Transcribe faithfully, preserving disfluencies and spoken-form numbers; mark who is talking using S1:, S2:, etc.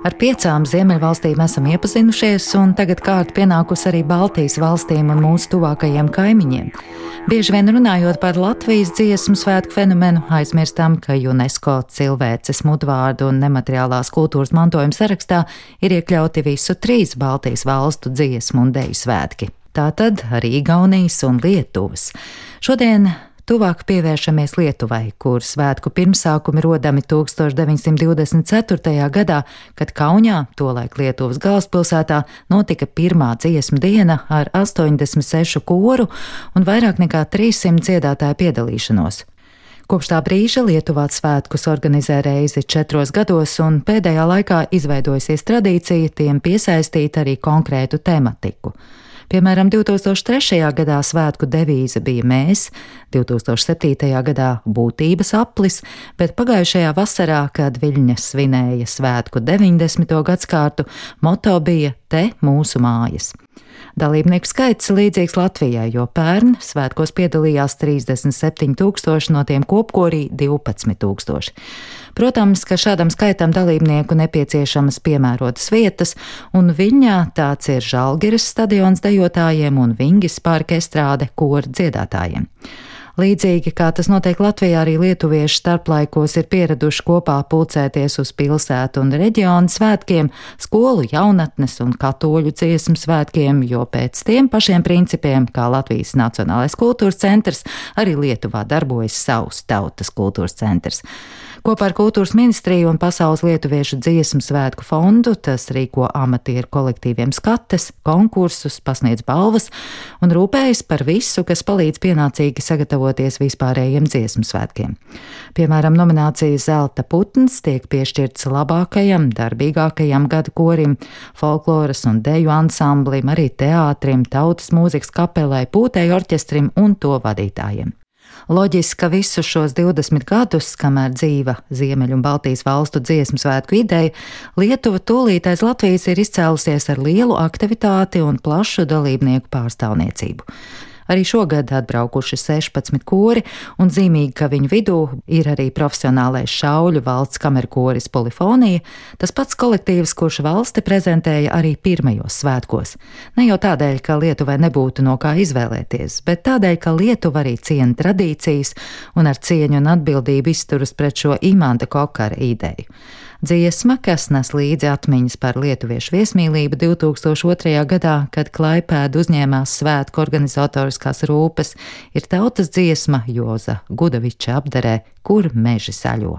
S1: Ar piecām Ziemeļvalstīm esam iepazinušies, un tagad kārta pienākusi arī Baltijas valstīm un mūsu tuvākajiem kaimiņiem. Bieži vien runājot par Latvijas dziesmu svētku fenomenu, aizmirstam, ka UNESCO cilvēces mudvārdu un nemateriālās kultūras mantojuma sarakstā ir iekļauti visu trīs Baltijas valstu dziesmu un deju svētki. Tātad arī Igaunijas un Lietuvas. Šodien tuvāk pievēršamies Lietuvai, kur svētku pirmsākumi rodami tūkstoš deviņsimt divdesmit ceturtajā gadā, kad Kaunijā, tolaik Lietuvas galvaspilsētā, notika pirmā dziesmu diena ar astoņdesmit sešu koru un vairāk nekā trīssimt dziedātāju piedalīšanos. Kopš tā brīža Lietuvā svētkus organizē reizi četros gados, un pēdējā laikā izveidojusies tradīcija tiem piesaistīt arī konkrētu tematiku. Piemēram, divi tūkstoši trešajā gadā svētku devīze bija Mēs, divi tūkstoši septītajā gadā Būtības aplis, bet pagājušajā vasarā, kad Viļņa svinēja svētku deviņdesmito gadskārtu, moto bija Te mūsu mājas. Dalībnieku skaits līdzīgs Latvijai, jo pērn svētkos piedalījās trīsdesmit septiņi tūkstoši, no tiem kopkorī divpadsmit tūkstoši. Protams, ka šādam skaitam dalībnieku nepieciešamas piemērotas vietas, un Viļņā tāds ir Žalgiras stadions dejotājiem un Vingis parka estrāde koru dziedātājiem. Līdzīgi kā tas notiek Latvijā, arī lietuvieši starplaikos ir pieraduši kopā pulcēties uz pilsētu un reģionu svētkiem, skolu jaunatnes un katoļu dziesmu svētkiem, jo pēc tiem pašiem principiem, kā Latvijas Nacionālais kultūras centrs, arī Lietuvā darbojas savs tautas kultūras centrs. Kopā ar Kultūras ministriju un Pasaules lietuviešu dziesmu svētku fondu tas rīko amatieru kolektīviem skates, konkursus, pasniedz balvas un rūpējas par visu, kas palīdz pienācīgi sagatavoties vispārējiem dziesmu svētkiem. Piemēram, nominācija Zelta putns tiek piešķirts labākajam, darbīgākajam gada korim, folkloras un deju ansamblim, arī teātrim, tautas mūzikas kapelai, pūtēju orķestrim un to vadītājiem. Loģiski, ka visus šos divdesmit gadus, kamēr dzīva Ziemeļu un Baltijas valstu dziesmu svētku ideja, Lietuva tūlīt aiz Latvijas ir izcēlusies ar lielu aktivitāti un plašu dalībnieku pārstāvniecību. Arī šogad atbraukuši sešpadsmit kori, un zīmīgi, ka viņu vidū ir arī profesionālais šauļu valsts kamerkoris Polifonija, tas pats kolektīvs, kurš valsti prezentēja arī pirmajos svētkos. Ne jau tādēļ, ka Lietuvai nebūtu no kā izvēlēties, bet tādēļ, ka Lietuva arī ciena tradīcijas un ar cieņu un atbildību izturas pret šo Imanta Kokara ideju. Dziesma, kas nes līdzi atmiņas par lietuviešu viesmīlību divi tūkstoši otrajā gadā, kad Klaipēda uzņēmās svētku organizatoriskās rūpes, ir tautas dziesma Joza Gudaviča apderē, Kur meži saļo.